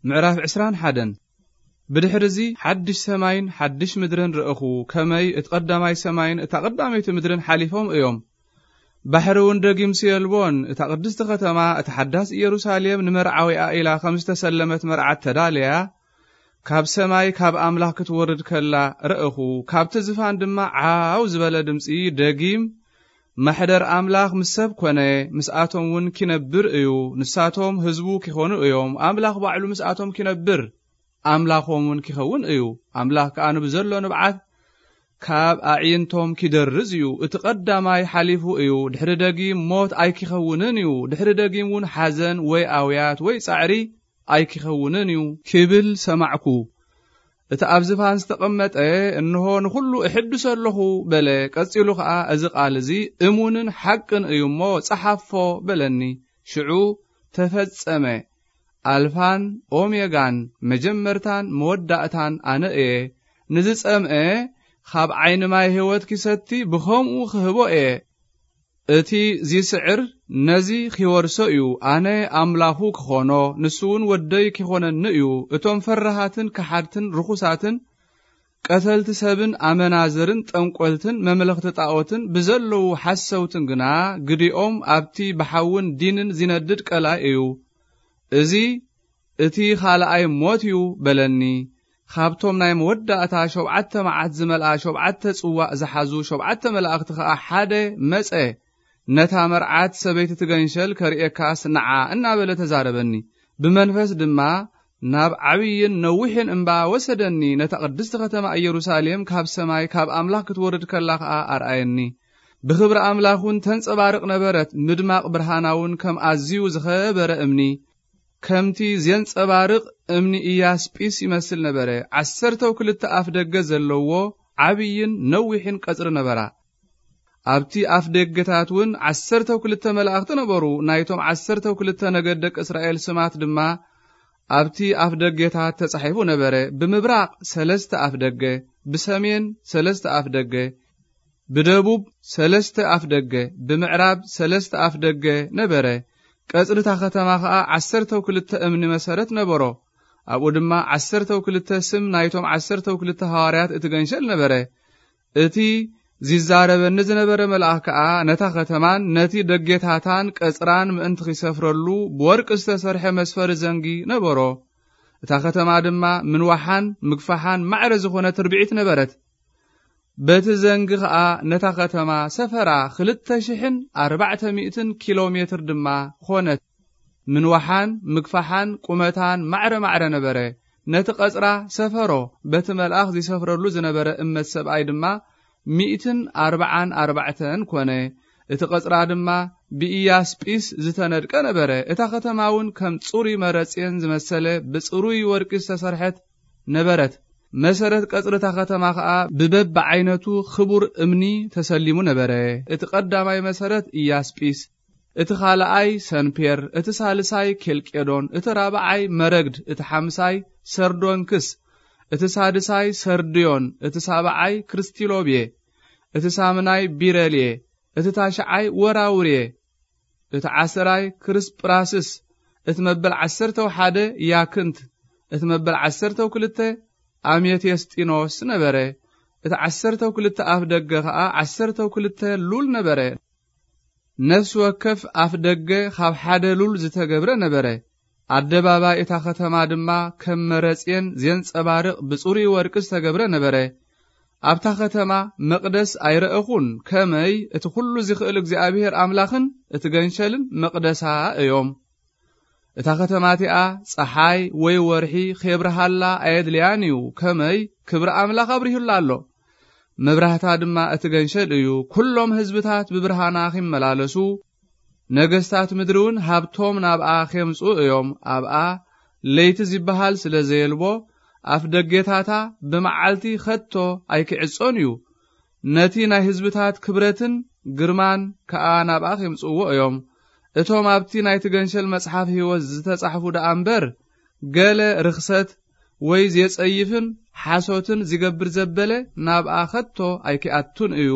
ምዕራፍ ዕስራን ሓደን። ብድሕርዚ ሓድሽ ሰማይን ሓድሽ ምድርን ረእኹ፣ ከመይ እቲ ቀዳማይ ሰማይን እታ ቀዳመይቲ ምድርን ሓሊፎም እዮም። ባሕሪ እውን ደጊምሲ የልቦን። እታ ቅድስቲ ከተማ፣ እታ ሓዳስ ኢየሩሳሌም፣ ንመርዓዊኣ ኢላ ከም ዝተሰለመት መርዓት ተዳለያ፣ ካብ ሰማይ ካብ ኣምላኽ ክትወርድ ከላ ረእኹ። ካብቲ ዝፋን ድማ ዓው ዝበለ ድምጺ፣ ደጊም፣ ማሕደር ኣምላኽ ምስ ሰብ ኮነ፣ ምስኣቶም እውን ኪነብር እዩ። ንሳቶም ህዝቡ ኪኾኑ እዮም፣ ኣምላኽ ባዕሉ ምስኣቶም ኪነብር፣ ኣምላኾም እውን ኪኸውን እዩ። ኣምላኽ ከኣ ንብዘሎ ንብዓት ካብ ኣዕይንቶም ኪደርዝ እዩ። እቲ ቀዳማይ ሓሊፉ እዩ። ድሕሪ ደጊም ሞት ኣይኪኸውንን እዩ። ድሕሪ ደጊም እውን ሓዘን ወይ ኣውያት ወይ ጻዕሪ ኣይኪኸውንን እዩ፣ ኪብል ሰማዕኩ። እቲ ኣብ ዝፋን ዝተቐመጠ፣ እንሆ፣ ንኹሉ እሕድሶ ኣለኹ፣ በለ። ቀጺሉ ኸኣ፣ እዚ ቃል እዚ እሙንን ሓቅን እዩ እሞ፣ ጸሓፎ፣ በለኒ። ሽዑ ተፈጸመ። ኣልፋን ኦሜጋን፣ መጀመርታን መወዳእታን ኣነ እየ። ንዝጸምአ፣ ካብ ዓይኒ ማይ ህይወት ኪሰቲ፣ ብኸምኡ ክህቦ እየ። እቲ ዚስዕር ነዚ ኺወርሶ እዩ። ኣነ ኣምላኹ ክኾኖ፣ ንሱ እውን ወደይ ኪኾነኒ እዩ። እቶም ፈራሃትን ከሓድትን ርኹሳትን፣ ቀተልቲ ሰብን ኣመናዝርን ጠንቆልትን መምለኽቲ ጣኦትን ብዘለዉ ሓሰውትን ግና፣ ግዲኦም ኣብቲ ብሓውን ዲንን ዚነድድ ቀላይ እዩ። እዚ እቲ ኻልኣይ ሞት እዩ በለኒ። ካብቶም ናይ መወዳእታ ሸውዓተ መዓት ዝመልኣ ሸውዓተ ጽዋእ ዝሓዙ ሸውዓተ መላእኽቲ ኸኣ ሓደ መጸ። ነታ መርዓት ሰበይቲ ትገንሸል ከርእየካስ ንዓ እናበለ ተዛረበኒ። ብመንፈስ ድማ ናብ ዓብይን ነዊሕን እምባ ወሰደኒ። ነታ ቅድስቲ ከተማ ኢየሩሳሌም ካብ ሰማይ ካብ ኣምላኽ ክትወርድ ከላ ኸኣ ኣርኣየኒ። ብኽብሪ ኣምላኽ እውን ተንጸባርቕ ነበረት። ምድማቕ ብርሃና እውን ከም ኣዝዩ ዝኸበረ እምኒ፣ ከምቲ ዜንጸባርቕ እምኒ ኢያስጲስ ይመስል ነበረ። ዓሰርተው ክልተ ኣፍ ደገ ዘለዎ ዓብይን ነዊሕን ቀጽሪ ነበራ። ኣብቲ ኣፍ ደገታት እውን ዓሰርተው ክልተ መላእኽቲ ነበሩ። ናይቶም ዓሰርተው ክልተ ነገድ ደቂ እስራኤል ስማት ድማ ኣብቲ ኣፍ ደገታት ተጻሒፉ ነበረ። ብምብራቕ ሰለስተ ኣፍ ደገ፣ ብሰሜን ሰለስተ ኣፍ ደገ፣ ብደቡብ ሰለስተ ኣፍ ደገ፣ ብምዕራብ ሰለስተ ኣፍ ደገ ነበረ። ቀጽሪ እታ ኸተማ ኸኣ ዓሰርተው ክልተ እምኒ መሰረት ነበሮ። ኣብኡ ድማ ዓሰርተው ክልተ ስም ናይቶም ዓሰርተው ክልተ ሃዋርያት እቲ ገንሸል ነበረ። እቲ ዚዛረበኒ ዝነበረ መልኣኽ ከኣ ነታ ኸተማን ነቲ ደጌታታን ቀጽራን ምእንቲ ኺሰፍረሉ ብወርቂ ዝተሰርሐ መስፈሪ ዘንጊ ነበሮ። እታ ኸተማ ድማ ምንዋሓን ምግፋሓን ማዕረ ዝኾነት ርብዒት ነበረት። በቲ ዘንጊ ኸኣ ነታ ኸተማ ሰፈራ፣ ክልተ ሽሕን ኣርባዕተ ሚእትን ኪሎ ሜትር ድማ ኾነት። ምንዋሓን ምግፋሓን ቁመታን ማዕረ ማዕረ ነበረ። ነቲ ቐጽራ ሰፈሮ፣ በቲ መልኣኽ ዚሰፍረሉ ዝነበረ እመት ሰብኣይ ድማ ሚእትን ኣርባዓን ኣርባዕተን ኮነ። እቲ ቐጽራ ድማ ብኢያስጲስ ዝተነድቀ ነበረ። እታ ኸተማ እውን ከም ጽሩይ መረጽየን ዝመሰለ ብጽሩይ ወርቂ ዝተሰርሐት ነበረት። መሰረት ቀጽሪ እታ ኸተማ ኸኣ ብበብዓይነቱ ኽቡር እምኒ ተሰሊሙ ነበረ። እቲ ቐዳማይ መሰረት ኢያስጲስ፣ እቲ ኻልኣይ ሰንፔር፣ እቲ ሳልሳይ ኬልቄዶን፣ እቲ ራብዓይ መረግድ፣ እቲ ሓምሳይ ሰርዶንክስ፣ እቲ ሳድሳይ ሰርድዮን፣ እቲ ሳብዓይ ክርስቲሎብየ፣ እቲ ሳምናይ ቢረልየ፣ እቲ ታሽዓይ ወራውርየ፣ እቲ ዓሰራይ ክርስጵራስስ፣ እቲ መበል ዓሰርተው ሓደ ያክንት፣ እቲ መበል ዓሰርተው ክልተ ኣሜቴስጢኖስ ነበረ። እቲ ዓሰርተው ክልተ ኣፍ ደገ ኸኣ ዓሰርተው ክልተ ሉል ነበረ። ነፍሲ ወከፍ ኣፍ ደገ ኻብ ሓደ ሉል ዝተገብረ ነበረ። ኣደባባይ እታ ኸተማ ድማ ከም መረጽየን ዜንጸባርቕ ብጽሩይ ወርቂ ዝተገብረ ነበረ። ኣብታ ኸተማ መቕደስ ኣይረእኹን፣ ከመይ እቲ ኹሉ ዚኽእል እግዚኣብሄር ኣምላኽን እቲ ገንሸልን መቕደሳ እዮም። እታ ኸተማ እቲኣ ጸሓይ ወይ ወርሒ ኼብርሃላ ኣየድልያን እዩ፣ ከመይ ክብሪ ኣምላኽ ኣብሪሁላ ኣሎ። መብራህታ ድማ እቲ ገንሸል እዩ። ኵሎም ህዝብታት ብብርሃና ኺመላለሱ፣ ነገስታት ምድሪ እውን ሃብቶም ናብኣ ኼምጽኡ እዮም። ኣብኣ ለይቲ ዚበሃል ስለ ዘየልቦ፣ ኣፍ ደጌታታ ብመዓልቲ ኸቶ ኣይኪዕጾን እዩ። ነቲ ናይ ህዝብታት ክብረትን ግርማን ከኣ ናብኣ ኼምጽእዎ እዮም። እቶም ኣብቲ ናይቲ ገንሸል መጽሓፍ ህይወት ዝተጻሕፉ ደኣ እምበር፣ ገለ ርኽሰት ወይ ዜጸይፍን ሓሶትን ዚገብር ዘበለ ናብኣ ኸቶ ኣይኪኣቱን እዩ።